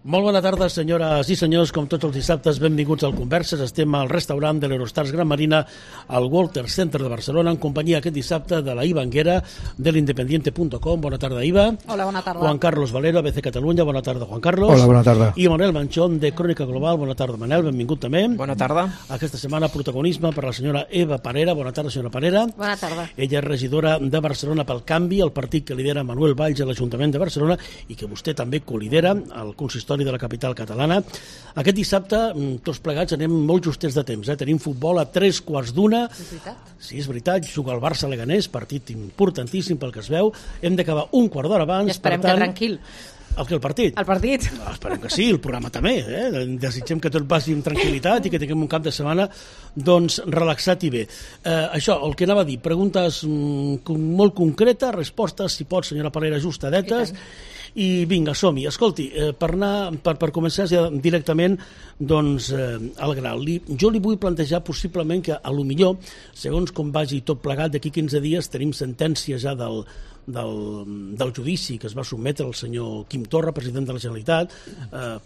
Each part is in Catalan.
Molt bona tarda, senyores i senyors. Com tots els dissabtes, benvinguts al Converses. Estem al restaurant de l'Eurostars Gran Marina al Walter Center de Barcelona en companyia aquest dissabte de la Iva Anguera de l'independiente.com. Bona tarda, Iva. Hola, bona tarda. Juan Carlos Valero, ABC Catalunya. Bona tarda, Juan Carlos. Hola, bona tarda. I Manel Manchón, de Crònica Global. Bona tarda, Manel. Benvingut també. Bona tarda. Aquesta setmana protagonisme per la senyora Eva Parera. Bona tarda, senyora Parera. Bona tarda. Ella és regidora de Barcelona pel Canvi, el partit que lidera Manuel Valls a l'Ajuntament de Barcelona i que vostè també colidera al consistori de la capital catalana. Aquest dissabte, tots plegats, anem molt justets de temps. Tenim futbol a 3:15. És veritat? Sí, és veritat. Juga el Barça-Leganés, partit importantíssim pel que es veu. Hem d'acabar un quart d'hora abans. I esperem que tranquil. El partit? El partit. Esperem que sí, el programa també. Desitgem que tot passi amb tranquil·litat i que tinguem un cap de setmana doncs, relaxat i bé. Això, el que anava a dir, preguntes molt concretes, respostes, si pot, senyora Parera, ajustadetes. I vinga, som-hi. Escolti, per començar ja directament doncs, al grau. Jo li vull plantejar possiblement que a lo millor, segons com vagi tot plegat, d'aquí 15 dies tenim sentència ja del judici que es va sotmetre al senyor Quim Torra, president de la Generalitat.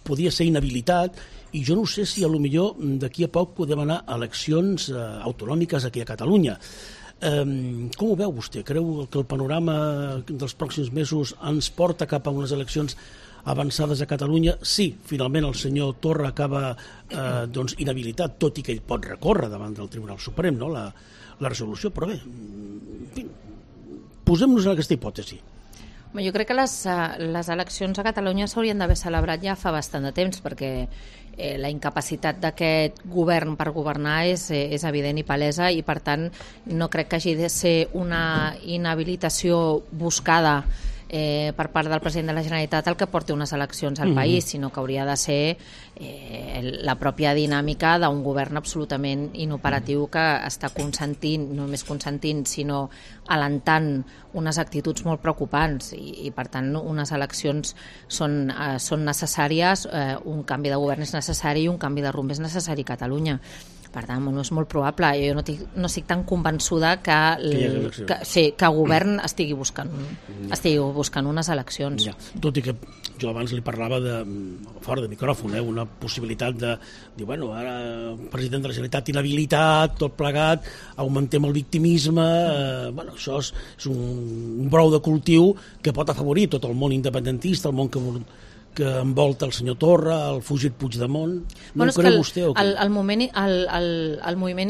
Podia ser inhabilitat i jo no sé si a lo millor d'aquí a poc podem anar a eleccions autonòmiques aquí a Catalunya. Com ho veu vostè? Creu que el panorama dels pròxims mesos ens porta cap a unes eleccions avançades a Catalunya? Sí, finalment el senyor Torra acaba inhabilitat, tot i que ell pot recórrer davant del Tribunal Suprem, no? la resolució, però bé, en fi, posem-nos en aquesta hipòtesi. Jo crec que les eleccions a Catalunya s'haurien d'haver celebrat ja fa bastant de temps, perquè la incapacitat d'aquest govern per governar és evident i palesa, i per tant no crec que hagi de ser una inhabilitació buscada per part del president de la Generalitat el que porti unes eleccions al país, sinó que hauria de ser la pròpia dinàmica d'un govern absolutament inoperatiu que està consentint, no només consentint, sinó alentant unes actituds molt preocupants, i per tant unes eleccions són necessàries, un canvi de govern és necessari i un canvi de rumb és necessari a Catalunya. Per tant, no és molt probable. Jo no estic tan convençuda que el govern estigui buscant unes eleccions. Ja. Tot i que jo abans li parlava fora de micròfon, una possibilitat de dir, bueno, ara el president de la Generalitat inhabilitat, tot plegat, augmentem el victimisme, això és un brou de cultiu que pot afavorir tot el món independentista, el món que envolta el senyor Torra, el fugit Puigdemont. No ho creu vostè o què? El moviment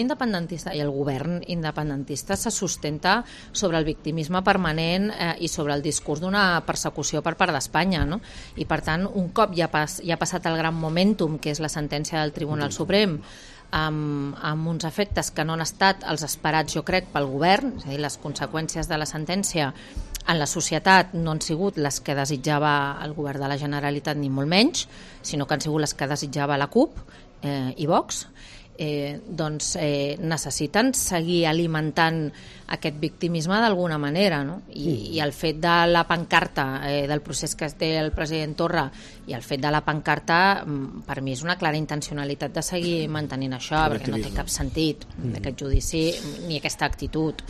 independentista i el govern independentista se sustenta sobre el victimisme permanent i sobre el discurs d'una persecució per part d'Espanya, no? I per tant, un cop ja ha passat el gran momentum, que és la sentència del Tribunal Suprem, amb uns efectes que no han estat els esperats, jo crec, pel govern, és a dir, les conseqüències de la sentència en la societat no han sigut les que desitjava el govern de la Generalitat, ni molt menys, sinó que han sigut les que desitjava la CUP i Vox. Necessiten seguir alimentant aquest victimisme d'alguna manera, no? I el fet de la pancarta, del procés que té el president Torra, i el fet de la pancarta, per mi és una clara intencionalitat de seguir mantenint això, perquè no té cap sentit aquest judici ni aquesta actitud.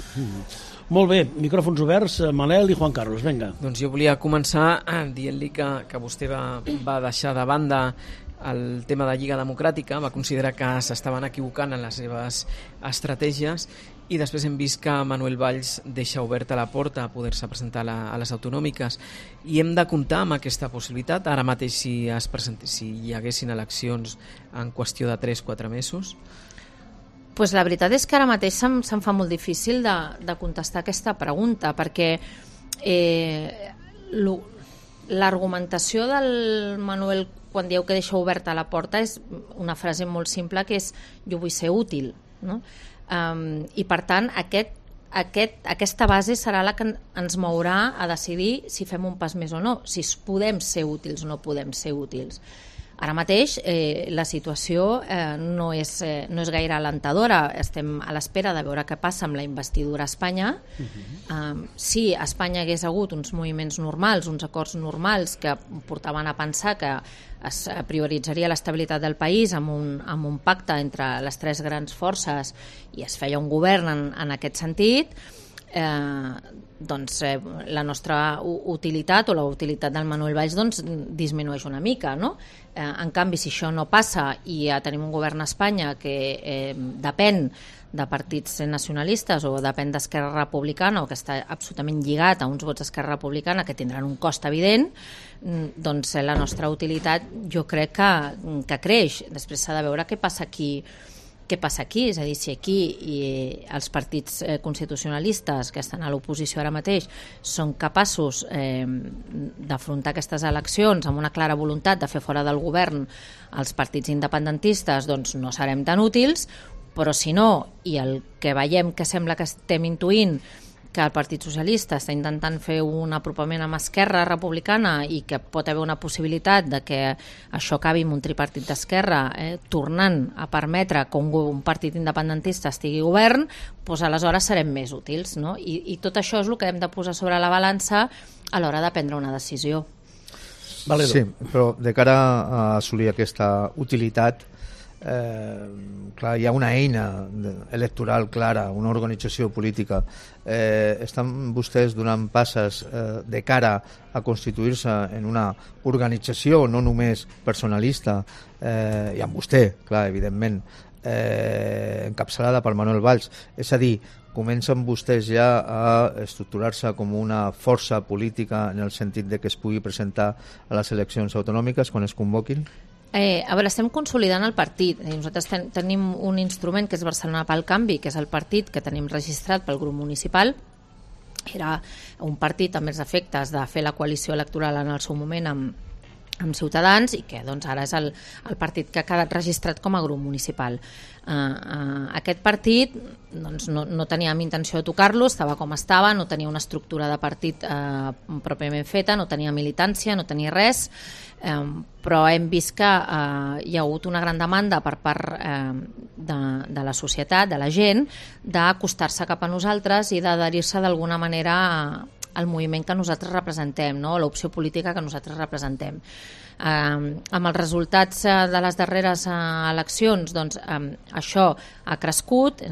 Molt bé, micròfons oberts, Manel i Juan Carlos, vinga. Doncs jo volia començar dient-li que vostè va deixar de banda el tema de Lliga Democràtica, va considerar que s'estaven equivocant en les seves estratègies, i després hem vist que Manuel Valls deixa oberta la porta a poder-se presentar a les autonòmiques, i hem de comptar amb aquesta possibilitat ara mateix si hi haguessin eleccions en qüestió de 3-4 mesos. Pues la veritat és que ara mateix se'm fa molt difícil de contestar aquesta pregunta, perquè l'argumentació del Manuel quan diu que deixa oberta la porta és una frase molt simple, que és jo vull ser útil, no? I per tant aquesta base serà la que ens mourà a decidir si fem un pas més o no, si podem ser útils o no podem ser útils. Ara mateix la situació no és gaire alentadora. Estem a l'espera de veure què passa amb la investidura a Espanya. Si a Espanya hagués hagut uns moviments normals, uns acords normals que portaven a pensar que es prioritzaria l'estabilitat del país amb un pacte entre les tres grans forces i es feia un govern en aquest sentit, la nostra utilitat o la utilitat del Manuel Valls disminueix una mica, no? En canvi, si això no passa i tenim un govern a Espanya que depèn de partits nacionalistes o depèn d'Esquerra Republicana o que està absolutament lligat a uns vots d'Esquerra Republicana que tindran un cost evident, doncs la nostra utilitat jo crec que creix. Després s'ha de veure què passa aquí, és a dir, si aquí els partits constitucionalistes que estan a l'oposició ara mateix són capaços d'afrontar aquestes eleccions amb una clara voluntat de fer fora del govern els partits independentistes, doncs no serem tan útils, però si no, i el que veiem que sembla que estem intuint que el Partit Socialista està intentant fer un apropament amb Esquerra Republicana i que pot haver una possibilitat de que això acabi amb un tripartit d'Esquerra tornant a permetre que un partit independentista estigui govern, doncs aleshores serem més útils, no? I tot això és el que hem de posar sobre la balança a l'hora de prendre una decisió. Valedor. Sí, però de cara a assolir aquesta utilitat, clar, hi ha una eina electoral clara, una organització política. Estan vostès donant passes de cara a constituir-se en una organització no només personalista, i amb vostè, clar, evidentment, encapçalada per Manuel Valls, és a dir, comencen vostès ja a estructurar-se com una força política en el sentit de que es pugui presentar a les eleccions autonòmiques quan es convoquin? A veure, estem consolidant el partit. Nosaltres tenim un instrument que és Barcelona pel Canvi, que és el partit que tenim registrat pel grup municipal. Era un partit amb els efectes de fer la coalició electoral en el seu moment amb Ciutadans i que doncs, ara és el partit que ha quedat registrat com a grup municipal. Aquest partit doncs, no teníem intenció de tocar-lo, estava com estava, no tenia una estructura de partit pròpiament feta, no tenia militància, no tenia res, però hem vist que hi ha hagut una gran demanda per part de la societat, de la gent, d'acostar-se cap a nosaltres i d'adherir-se d'alguna manera al moviment que nosaltres representem, no? L'opció política que nosaltres representem. Amb els resultats de les darreres eleccions, doncs, això ha crescut,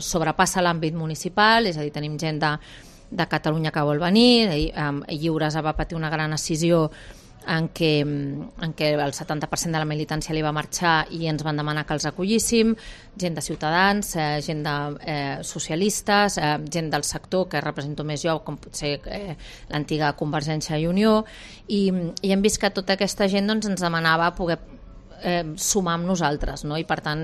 sobrepassa l'àmbit municipal, és a dir, tenim gent de Catalunya que vol venir, Lliures va patir una gran escissió en què el 70% de la militància li va marxar i ens van demanar que els acollíssim, gent de Ciutadans, gent de socialistes, gent del sector que represento més jo, com pot ser l'antiga Convergència i Unió, i hem vist que tota aquesta gent doncs, ens demanava poder sumar amb nosaltres, no? I per tant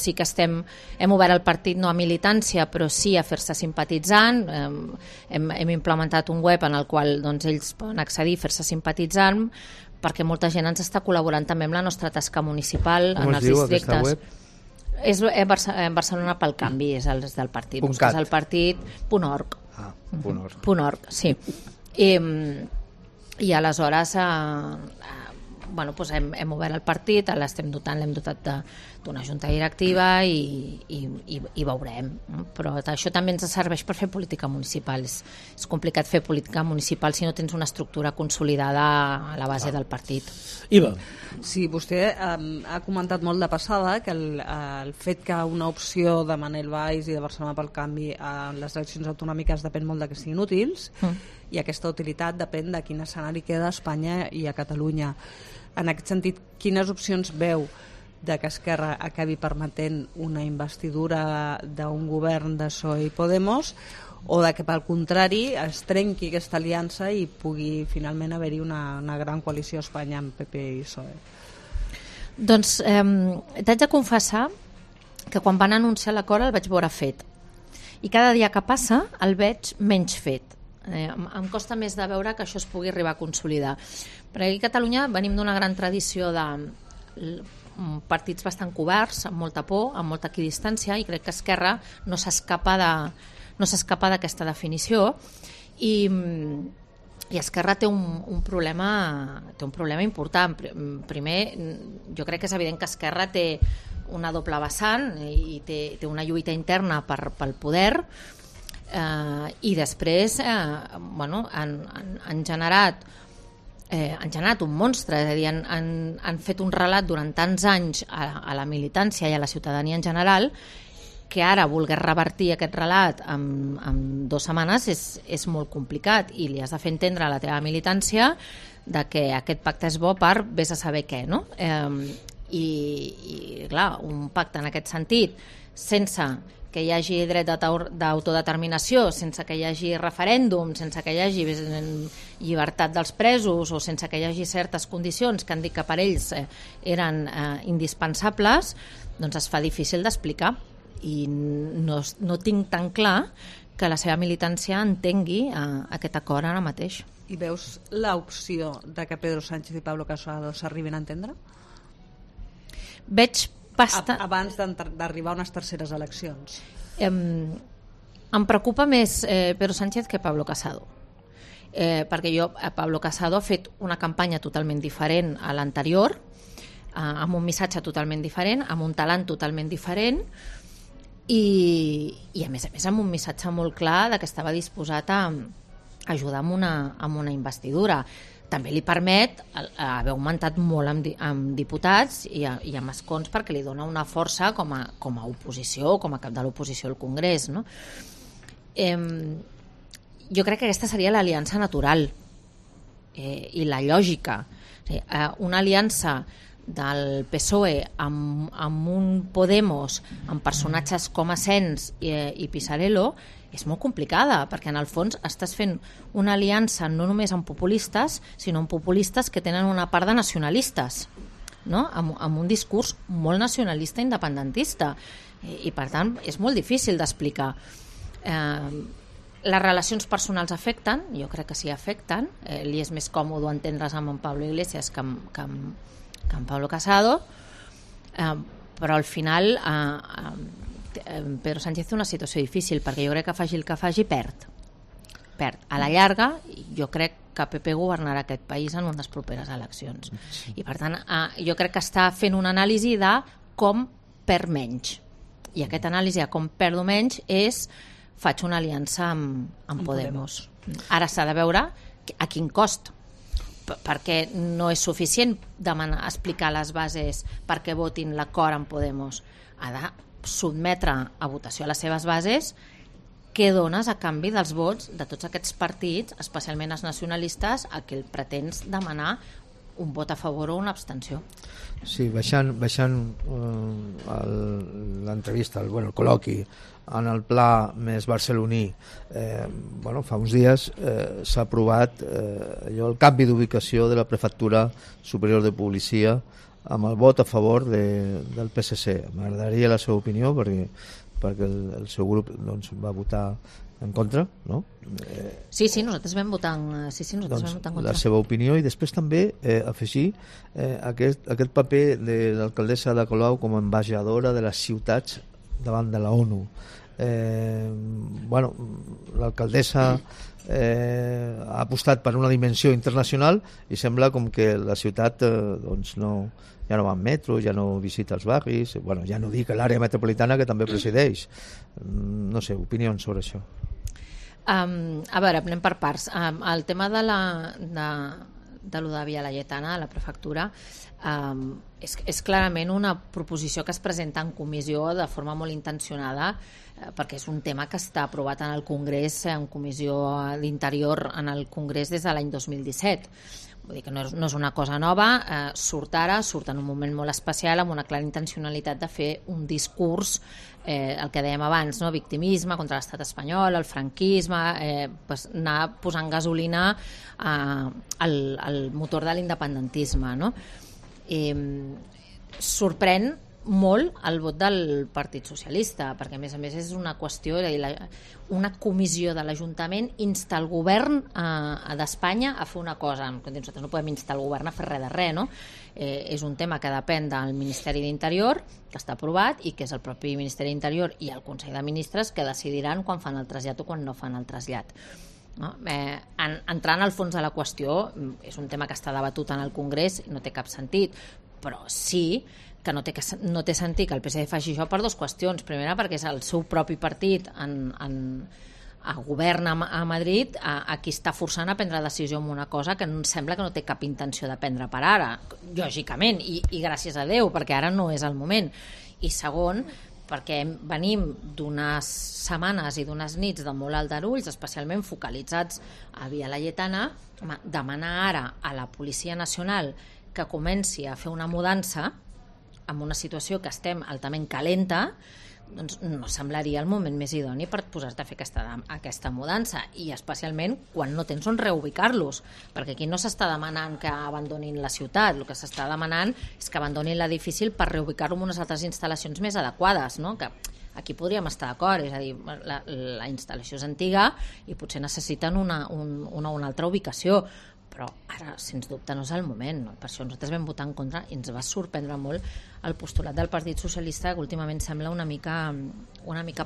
sí que hem obert el partit no a militància però sí a fer-se simpatitzant, hem implementat un web en el qual doncs, ells poden accedir, fer-se simpatitzant, perquè molta gent ens està col·laborant també amb la nostra tasca municipal en els districtes. És Barcelona pel Canvi, és el del partit, busques el partit.org. .org, sí. I aleshores bueno, doncs hem obert el partit, l'hem dotat d'una junta directiva i veurem. Però això també ens serveix per fer política municipal. És complicat fer política municipal si no tens una estructura consolidada a la base del partit. Iva. Sí, vostè ha comentat molt de passada que el fet que una opció de Manuel Valls i de Barcelona pel Canvi en les eleccions autonòmiques depèn molt de que siguin útils i aquesta utilitat depèn de quin escenari queda a Espanya i a Catalunya. En aquest sentit, quines opcions veu de que Esquerra acabi permetent una investidura d'un govern de PSOE i Podemos o de que, pel contrari, es trenqui aquesta aliança i pugui finalment haver-hi una gran coalició a Espanya amb PP i PSOE? Doncs t'haig de confessar que quan van anunciar l'acord el vaig veure fet i cada dia que passa el veig menys fet. Em costa més de veure que això es pugui arribar a consolidar, perquè aquí a Catalunya venim d'una gran tradició de partits bastant coberts, amb molta por, amb molta equidistància, i crec que Esquerra no s'escapa d'aquesta definició i Esquerra té un problema important. Primer, jo crec que és evident que Esquerra té una doble vessant i té una lluita interna pel poder, i després han generat un monstre, és a dir, han fet un relat durant tants anys a la militància i a la ciutadania en general que ara volgués revertir aquest relat en 2 setmanes és molt complicat, i li has de fer entendre a la teva militància de que aquest pacte és bo per vés a saber què, no? I clar, un pacte en aquest sentit, sense que hi hagi dret d'autodeterminació, sense que hi hagi referèndum, sense que hi hagi llibertat dels presos, o sense que hi hagi certes condicions que han dit que per ells eren indispensables, doncs es fa difícil d'explicar, i no tinc tan clar que la seva militància entengui aquest acord ara mateix. I veus l'opció de que Pedro Sánchez i Pablo Casado s'arribin a entendre? Veig abans d'arribar a unes terceres eleccions. Em preocupa més Pedro Sánchez que Pablo Casado, perquè Pablo Casado ha fet una campanya totalment diferent a l'anterior, amb un missatge totalment diferent, amb un talent totalment diferent, i a més amb un missatge molt clar de que estava disposat a ajudar amb una investidura. També li permet haver augmentat molt amb diputats i amb escons, perquè li dona una força com a oposició, com a cap de l'oposició al Congrés, no? Jo crec que aquesta seria l'aliança natural i la lògica. Una aliança del PSOE amb un Podemos, amb personatges com Asens i Pisarello, és molt complicada, perquè en el fons estàs fent una aliança no només amb populistes, sinó amb populistes que tenen una part de nacionalistes, no? Amb un discurs molt nacionalista independentista, i per tant és molt difícil d'explicar. Les relacions personals afecten, jo crec que sí afecten, li és més còmode entendre's amb en Pablo Iglesias que amb Pablo Casado, però al final Pedro Sánchez té una situació difícil, perquè jo crec que faci el que faci perd. A la llarga jo crec que PP governarà aquest país en unes properes eleccions, i per tant jo crec que està fent una anàlisi de com perd menys, i aquesta anàlisi de com perdo menys és faig una aliança amb Podemos. Ara s'ha de veure a quin cost, perquè no és suficient explicar les bases perquè votin l'acord amb Podemos. Ha de sotmetre a votació a les seves bases què dones a canvi dels vots de tots aquests partits, especialment els nacionalistes, a què el pretens demanar un vot a favor o una abstenció. Sí, baixant l'entrevista, el col·loqui en el pla més barceloní, fa uns dies s'ha aprovat el canvi d'ubicació de la Prefectura Superior de Policia amb el vot a favor del PSC. M'agradaria la seva opinió, perquè el seu grup va votar en contra, no? Sí, nosaltres vam votar en contra. La seva opinió, i després també afegir aquest paper de l'alcaldessa de Colau com a ambaixadora de les ciutats davant de la ONU. L'alcaldessa ha apostat per una dimensió internacional i sembla com que la ciutat ja no va en metro, ja no visita els barris, ja no dic l'àrea metropolitana que també presideix. No sé, opinions sobre això. A veure, anem per parts. El tema de lo de Via Laietana, la prefectura, és clarament una proposició que es presenta en comissió de forma molt intencionada, perquè és un tema que està aprovat en el Congrés, en comissió d'Interior en el Congrés des de l'any 2017. Vull dir que no és una cosa nova, surt en un moment molt especial, amb una clara intencionalitat de fer un discurs, el que dèiem abans, no? Victimisme contra l'estat espanyol, el franquisme, anar posant gasolina al motor de l'independentisme, no? Sorprèn molt el vot del Partit Socialista, perquè a més és una qüestió, una comissió de l'Ajuntament insta el govern d'Espanya a fer una cosa. Nosaltres no podem instar el govern a fer res de res, no? És un tema que depèn del Ministeri d'Interior, que està aprovat, i que és el propi Ministeri d'Interior i el Consell de Ministres que decidiran quan fan el trasllat o quan no fan el trasllat. No? Entrant al fons de la qüestió, és un tema que està debatut en el Congrés i no té cap sentit, però sí que no té sentit que el PSD faci això per dues qüestions. Primera, perquè és el seu propi partit a govern a Madrid a qui està forçant a prendre decisió en una cosa que sembla que no té cap intenció de prendre per ara, lògicament, i gràcies a Déu, perquè ara no és el moment. I segon, perquè venim d'unes setmanes i d'unes nits de molt aldarulls, especialment focalitzats a Via Laietana. Demanar ara a la Policia Nacional que comenci a fer una mudança en una situació que estem altament calenta, doncs no semblaria el moment més idoni per posar-te a fer aquesta mudança, i especialment quan no tens on reubicar-los, perquè aquí no s'està demanant que abandonin la ciutat, el que s'està demanant és que abandonin l'edifici per reubicar-lo en unes altres instal·lacions més adequades, no? Que aquí podríem estar d'acord, és a dir, la instal·lació és antiga i potser necessiten una altra ubicació, però ara, sens dubte, no és el moment, no? Per això nosaltres vam votar en contra i ens va sorprendre molt el postulat del Partit Socialista, que últimament sembla una mica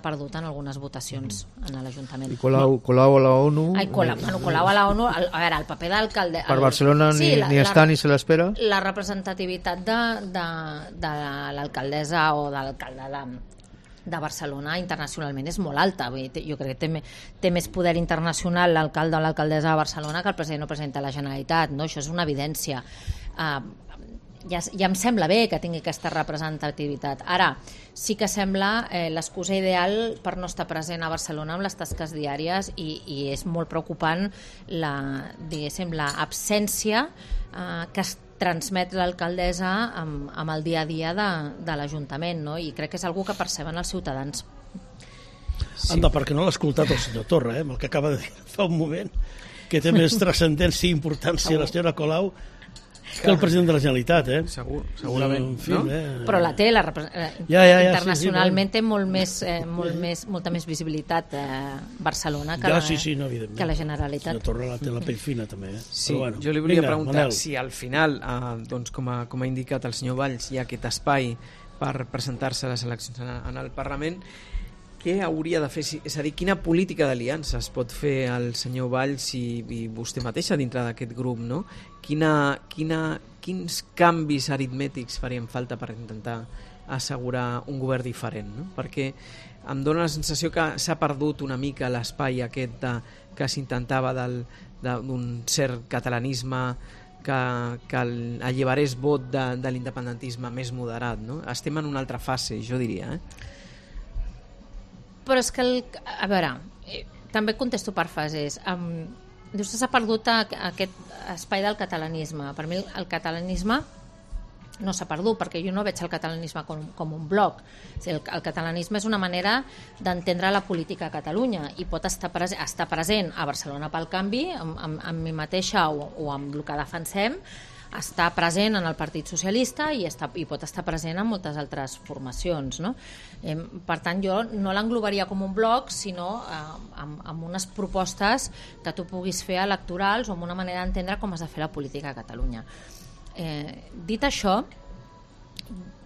perdut en algunes votacions en l'Ajuntament. I Colau a la ONU... Colau a la ONU, a veure, el paper d'alcalde... Per Barcelona ni està ni se l'espera? La representativitat de l'alcaldessa o de l'alcalde de Barcelona internacionalment és molt alta. Jo crec que té més poder internacional l'alcalde o l'alcaldessa de Barcelona que el president o presidenta de la Generalitat, no? Això és una evidència. Ja em sembla bé que tingui aquesta representativitat. Ara, sí que sembla l'excusa ideal per no estar present a Barcelona amb les tasques diàries, i és molt preocupant l'absència que es transmet l'alcaldessa amb el dia a dia de l'Ajuntament, no? I crec que és algo que perceben els ciutadans. Sí. Anda, perquè no l'ha escoltat el senyor Torra, amb el que acaba de dir fa un moment, que té més transcendència i importància la senyora Colau que el president de la Generalitat, segurament, en fi, no? Però la té, internacionalment té molta més visibilitat Barcelona que la Generalitat. La Torra la té la pell fina també. Sí, bueno, jo li volia preguntar si al final, doncs, com ha indicat el senyor Valls, hi ha aquest espai per presentar-se a les eleccions en el Parlament. Què hauria de fer? És a dir, quina política d'aliances pot fer el senyor Valls i vostè mateixa dintre d'aquest grup, no? Quins canvis aritmètics farien falta per intentar assegurar un govern diferent, no? Perquè em dóna la sensació que s'ha perdut una mica l'espai aquest que s'intentava d'un cert catalanisme que alliberés vot de l'independentisme més moderat, no? Estem en una altra fase, jo diria, Però és que, a veure, també contesto per fases. Dius que s'ha perdut aquest espai del catalanisme. Per mi el catalanisme no s'ha perdut, perquè jo no veig el catalanisme com un bloc. El catalanisme és una manera d'entendre la política a Catalunya, i pot estar present a Barcelona pel Canvi, amb mi mateixa o amb el que defensem, està present en el Partit Socialista i pot estar present en moltes altres formacions, no? Per tant, jo no l'englobaria com un bloc, sinó amb unes propostes que tu puguis fer electorals o amb una manera d'entendre com has de fer la política a Catalunya. Dit això,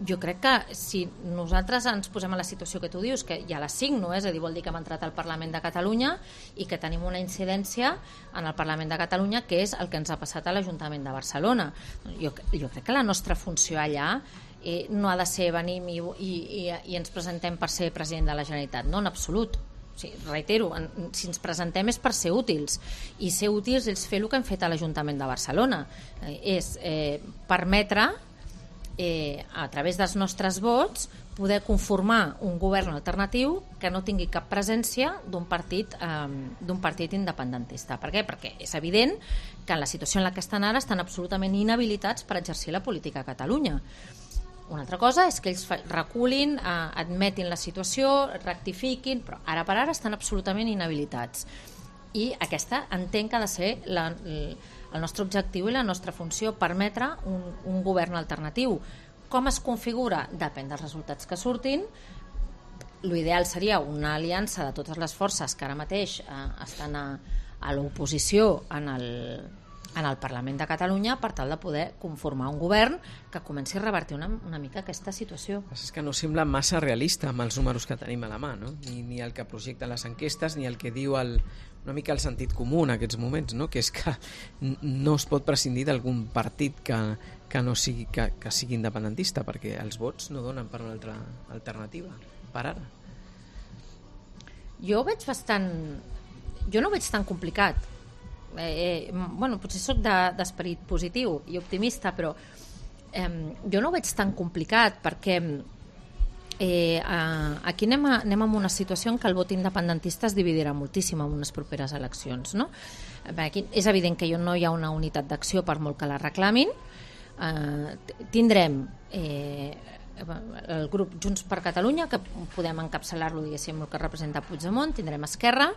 jo crec que si nosaltres ens posem a la situació que tu dius, que ja la signo, és a dir, vol dir que hem entrat al Parlament de Catalunya i que tenim una incidència en el Parlament de Catalunya, que és el que ens ha passat a l'Ajuntament de Barcelona. Jo crec que la nostra funció allà no ha de ser venim i ens presentem per ser president de la Generalitat, no, en absolut. Sí, reitero, si ens presentem és per ser útils, i ser útils és fer el que hem fet a l'Ajuntament de Barcelona, és permetre a través dels nostres vots poder conformar un govern alternatiu que no tingui cap presència d'un partit independentista. Per què? Perquè és evident que en la situació en la que estan ara estan absolutament inhabilitats per exercir la política a Catalunya. Una altra cosa és que ells reculin, admetin la situació, rectifiquin, però ara per ara estan absolutament inhabilitats. I aquesta entenc que ha de ser el nostre objectiu i la nostra funció, permetre un govern alternatiu. Com es configura? Depèn dels resultats que surtin. L'ideal seria una aliança de totes les forces que ara mateix estan a l'oposició en el Parlament de Catalunya, per tal de poder conformar un govern que comenci a revertir una mica aquesta situació. És que no sembla massa realista amb els números que tenim a la mà, no? Ni el que projecten les enquestes, ni el que diu una mica el sentit comú en aquests moments, no? Que és que no es pot prescindir d'algun partit que sigui independentista, perquè els vots no donen per una altra alternativa, per ara. Jo no ho veig tan complicat. Potser soc d'esperit positiu i optimista, però jo no ho veig tan complicat, perquè aquí anem amb una situació en què el vot independentista es dividirà moltíssim en unes properes eleccions, no? Aquí és evident que no hi ha una unitat d'acció per molt que la reclamin. Tindrem el grup Junts per Catalunya, que podem encapçalar-lo, diguéssim, el que representa Puigdemont, tindrem Esquerra,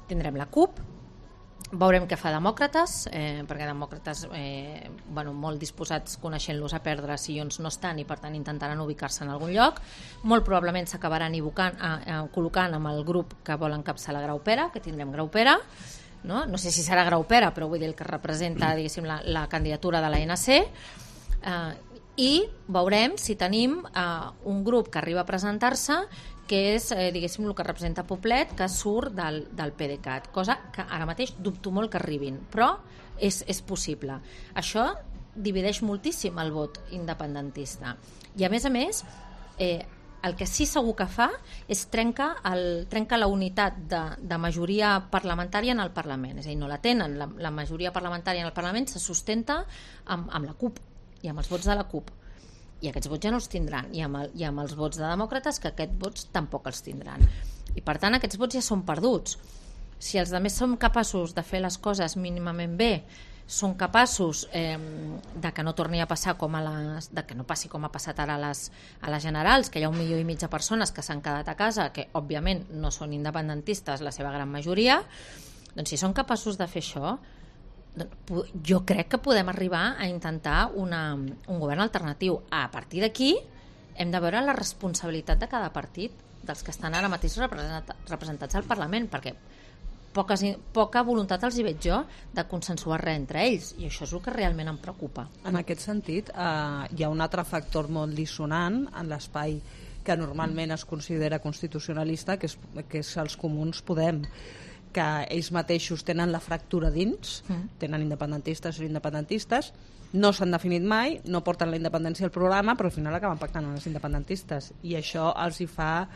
tindrem la CUP, veurem què fa Demòcrates, perquè Demòcrates molt disposats, coneixent-los, a perdre sillons no estan, i per tant intentaran ubicar-se en algun lloc. Molt probablement s'acabaran col·locant amb el grup que vol encapçalar Graupera, que tindrem Graupera, no sé si serà Graupera, però vull dir el que representa, diguéssim, la candidatura de l'ANC, i veurem si tenim un grup que arriba a presentar-se, que és, diguéssim, el que representa Poblet, que surt del PDeCAT, cosa que ara mateix dubto molt que arribin, però és possible. Això divideix moltíssim el vot independentista. I a més, el que sí segur que fa és trenca la unitat de majoria parlamentària en el Parlament. És a dir, no la tenen. La majoria parlamentària en el Parlament se sustenta amb la CUP i amb els vots de la CUP. I aquests vots ja no els tindran, i amb els vots de demòcrates, que aquests vots tampoc els tindran, i per tant aquests vots ja són perduts. Si els altres som capaços de fer les coses mínimament bé, són capaços de que no torni a passar de que no passi com ha passat ara a les generals, que hi ha 1,5 milió de persones que s'han quedat a casa, que òbviament no són independentistes la seva gran majoria, doncs si són capaços de fer això, jo crec que podem arribar a intentar un govern alternatiu. A partir d'aquí hem de veure la responsabilitat de cada partit, dels que estan ara mateix representats al Parlament, perquè poca voluntat els hi veig jo de consensuar res entre ells, i això és el que realment em preocupa. En aquest sentit, hi ha un altre factor molt dissonant en l'espai que normalment es considera constitucionalista, que és els Comuns Podem, que ells mateixos tenen la fractura dins, tenen independentistes i independentistes, no s'han definit mai, no porten la independència al programa, però al final acaben pactant amb els independentistes, i això els hi fa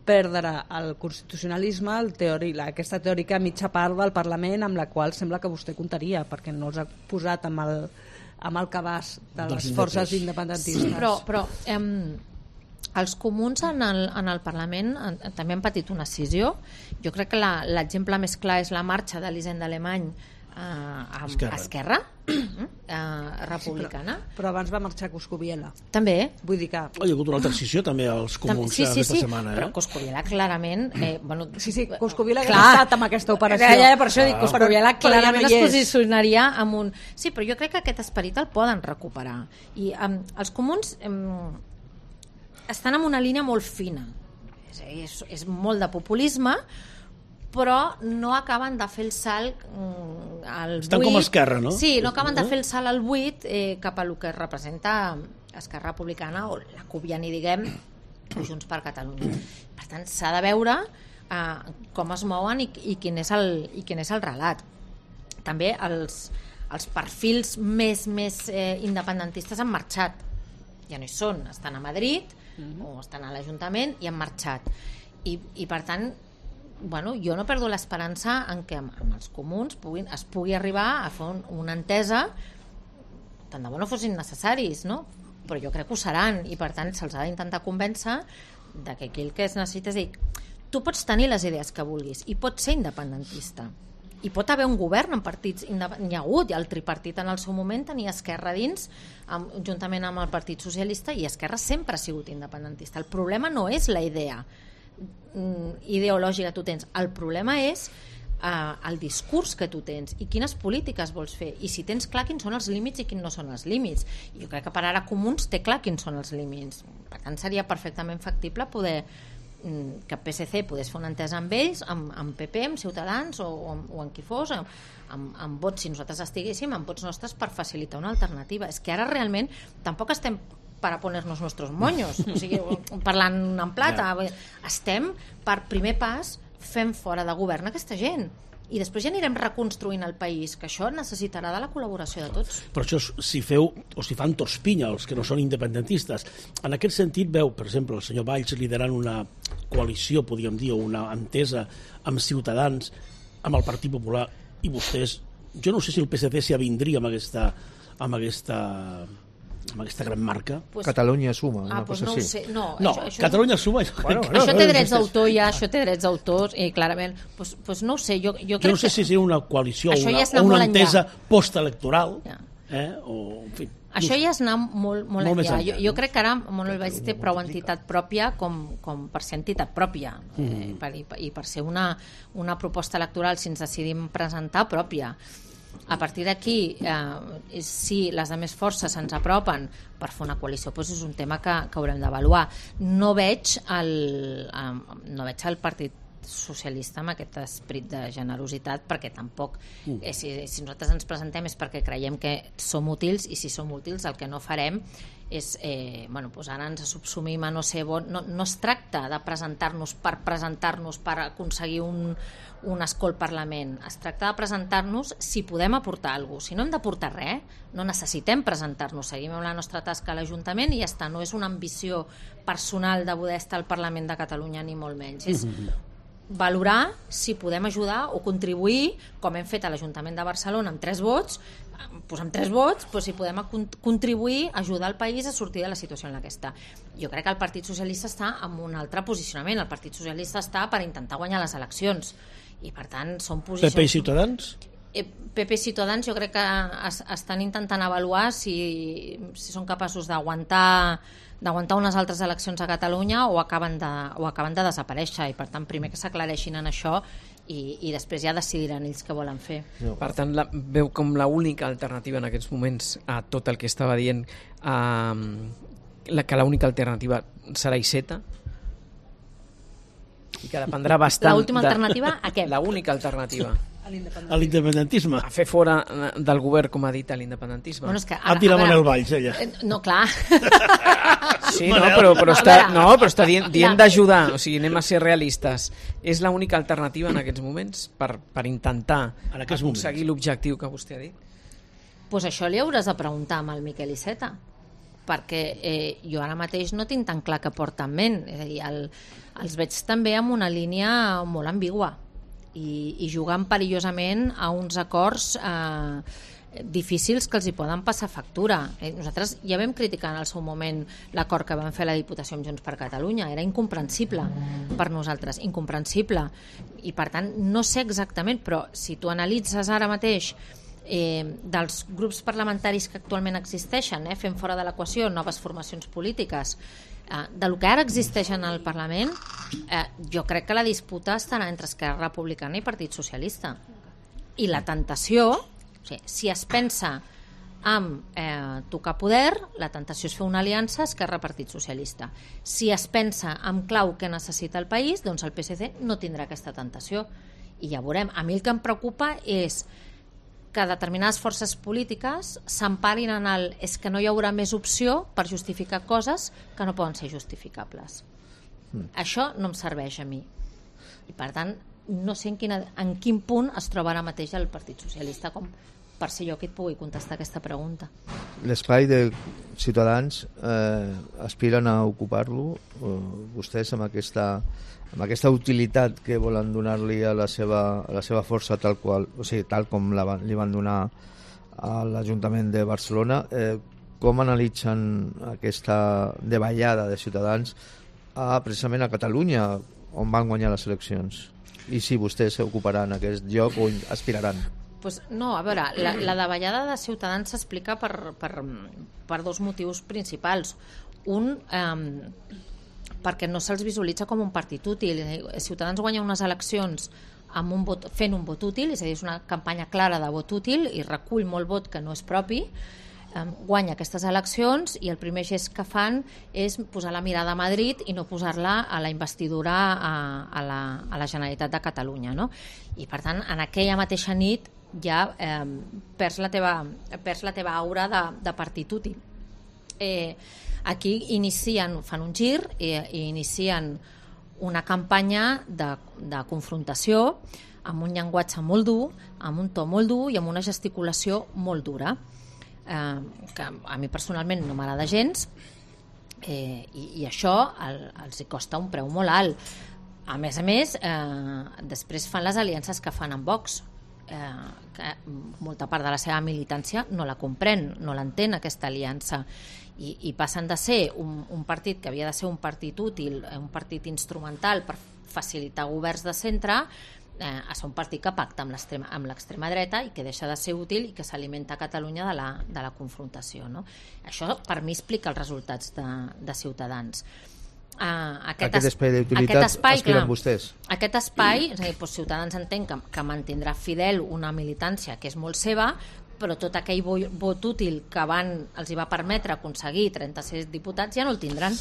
perdre el constitucionalisme, aquesta teòrica mitja part del Parlament amb la qual sembla que vostè comptaria, perquè no els ha posat amb el cabàs de les forces independentistes. Però els comuns en el Parlament també han patit una escissió. Jo crec que l'exemple més clar és la marxa d'Elisenda Alemany a Esquerra republicana. Sí, però abans va marxar Coscubiela. També. Vull dir que... Hi ha hagut una altra escissió també als comuns aquesta setmana. Però Coscubiela clarament... Coscubiela ha estat amb aquesta operació. Per això dic, Coscubiela clarament es posicionaria amb un... Sí, però jo crec que aquest esperit el poden recuperar. I els comuns... estan en una línia molt fina, és molt de populisme, però no acaben de fer el salt al buit. Estan com Esquerra, no? Sí, no acaben de fer el salt al buit cap a el que representa Esquerra Republicana, o la CUP, ja ni diguem, o Junts per Catalunya. Per tant, s'ha de veure com es mouen i quin és el relat. També els perfils més independentistes han marxat, ja no hi són, estan a Madrid o estan a l'Ajuntament i han marxat, i per tant jo no perdo l'esperança en què amb els comuns es pugui arribar a fer una entesa, tant de bo no fossin necessaris, no? Però jo crec que ho seran, i per tant se'ls ha d'intentar convèncer de que aquí el que es necessita és dir, tu pots tenir les idees que vulguis i pots ser independentista, i pot haver un govern en partits, n'hi ha hagut, el tripartit en el seu moment tenia Esquerra dins, juntament amb el Partit Socialista, i Esquerra sempre ha sigut independentista. El problema no és la idea ideològica que tu tens, el problema és el discurs que tu tens i quines polítiques vols fer, i si tens clar quins són els límits i quins no són els límits. I jo crec que per ara Comuns té clar quins són els límits, per tant seria perfectament factible poder que el PSC pogués fer una entesa amb ells, amb PP, amb Ciutadans o amb qui fos, amb vots, si nosaltres estiguéssim, amb vots nostres, per facilitar una alternativa. És que ara realment tampoc estem para ponernos nuestros moños, o sigui, parlant en plata, estem per primer pas fent fora de govern aquesta gent, i després ja anirem reconstruint el país, que això necessitarà de la col·laboració de tots. Per això, si fan tots pinya els que no són independentistes, en aquest sentit veu, per exemple, el senyor Valls liderant una coalició, podríem dir, o una entesa amb Ciutadans, amb el Partit Popular, i vostès, jo no sé si el PSC s'hi avindria amb aquesta amb aquesta gran marca. Catalunya suma, una pues cosa no ho així. sé. No, No, això, Catalunya suma. això té drets d'autor, ja, això té drets d'autors, i clarament, pues no ho sé, jo crec Jo no sé si és una coalició o Això ja és una, anar o una molt enllà. entesa postelectoral, Ja. o, en fi. Això ja és anar molt més enllà. enllà, Jo crec que ara Manuel Valls té prou entitat pròpia com per ser entitat pròpia i per ser una proposta electoral, si ens decidim presentar, pròpia. A partir d'aquí, si les altres forces se'ns apropen per fer una coalició, doncs és un tema que haurem d'avaluar. No veig el Partit Socialista amb aquest esperit de generositat, perquè tampoc si nosaltres ens presentem és perquè creiem que som útils, i si som útils el que no farem és doncs ara ens subsumim a no ser bon. No es tracta de presentar-nos per aconseguir un escó al Parlament, es tracta de presentar-nos si podem aportar alguna cosa. Si no hem d'aportar res, no necessitem presentar-nos, seguim amb la nostra tasca a l'Ajuntament i ja està. No és una ambició personal de poder estar al Parlament de Catalunya, ni molt menys. És valorar si podem ajudar o contribuir, com hem fet a l'Ajuntament de Barcelona amb 3 vots, si podem contribuir a ajudar el país a sortir de la situació en la que està. Jo crec que el Partit Socialista està en un altre posicionament. El Partit Socialista està per intentar guanyar les eleccions i per tant són posicions... PP i Ciutadans? PP i Ciutadans jo crec que estan intentant avaluar si són capaços d'aguantar unes altres eleccions a Catalunya o acaben de desaparèixer, i per tant primer que s'aclareixin en això i després ja decidiran ells què volen fer. Per tant, veu com l'única alternativa en aquests moments a tot el que estava dient, que l'única alternativa serà Iceta, i que dependrà bastant... L'última alternativa a què? L'única alternativa a l'independentisme. a fer fora del govern, com ha dit, a l'independentisme. Bueno, és que Ha tirat Manuel Valls, ella. No, clar. Sí, però està dient d'ajudar, o sigui, anem a ser realistes. És l'única alternativa en aquests moments per intentar aconseguir l'objectiu que vostè ha dit? Doncs això li hauràs de preguntar amb el Miquel Iceta, perquè jo ara mateix no tinc tan clar què porta en ment. És a dir, els veig també amb una línia molt ambigua i jugant perillosament a uns acords difícils que els hi poden passar factura. Nosaltres ja vam criticar en el seu moment l'acord que vam fer a la Diputació amb Junts per Catalunya. Era incomprensible per nosaltres, incomprensible. I per tant, no sé exactament, però si tu analitzes ara mateix dels grups parlamentaris que actualment existeixen, fent fora de l'equació noves formacions polítiques, del que ara existeix en el Parlament, jo crec que la disputa estarà entre Esquerra Republicana i Partit Socialista. I la tentació, o sigui, si es pensa en tocar poder, la tentació és fer una aliança Esquerra-Partit Socialista. Si es pensa en clau que necessita el país, doncs el PSC no tindrà aquesta tentació. I ja veurem. A mi el que em preocupa és que determinades forces polítiques s'emparin en el és que no hi haurà més opció per justificar coses que no poden ser justificables. Això no em serveix a mi. I per tant, no sé en quin punt es troba ara mateix el Partit Socialista com per ser jo qui et pugui contestar aquesta pregunta. L'espai de Ciutadans aspiren a ocupar-lo vostès amb aquesta utilitat que volen donar-li a la seva força tal com li van donar a l'Ajuntament de Barcelona. Com analitzen aquesta davallada de Ciutadans precisament a Catalunya, on van guanyar les eleccions? I si vostès s'ocuparan aquest lloc o aspiraran? Pues no, a veure, la davallada de Ciutadans s'explica per dos motius principals. Un, perquè no se'ls visualitza com un partit útil. Ciutadans guanya unes eleccions fent un vot útil, és a dir, és una campanya clara de vot útil i recull molt vot que no és propi, guanya aquestes eleccions i el primer gest que fan és posar la mirada a Madrid i no posar-la a la investidura a la Generalitat de Catalunya, no? I per tant, en aquella mateixa nit ja perds la teva aura de partit útil. Aquí fan un gir i inicien una campanya de confrontació amb un llenguatge molt dur, amb un to molt dur i amb una gesticulació molt dura, que a mi personalment no m'agrada gens, i això els hi costa un preu molt alt. A més, després fan les aliances que fan amb Vox, que molta part de la seva militància no la comprèn, no l'entén aquesta aliança, i passen de ser un partit que havia de ser un partit útil, un partit instrumental per facilitar governs de centre, a ser un partit que pacta amb l'extrema dreta i que deixa de ser útil i que s'alimenta a Catalunya de la confrontació, no? Això per mi explica els resultats de Ciutadans. Aquest espai d'utilitat aspiren vostès. Aquest espai, és a dir, Ciutadans entenc que mantindrà fidel una militància que és molt seva, però tot aquell vot útil que els hi va permetre aconseguir 36 diputats ja no el tindran.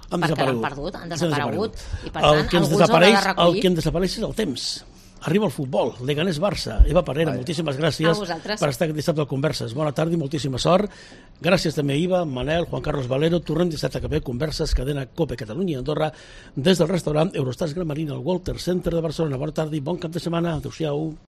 Perquè l'han perdut, han desaparegut. I per tant, algú els haurà de recollir. El que en desapareix és el temps. Arriba el futbol, Leganés-Barça. Eva Parera, moltíssimes gràcies per estar aquest dissabte al Converses. Bona tarda i moltíssima sort. Gràcies també a Iva, Manel, Juan Carlos Valero. Tornem dissabte que ve, Converses, cadena COPE Catalunya i Andorra, des del restaurant Eurostars Gran Marina al Walter Center de Barcelona. Bona tarda i bon cap de setmana. Adéu-siau.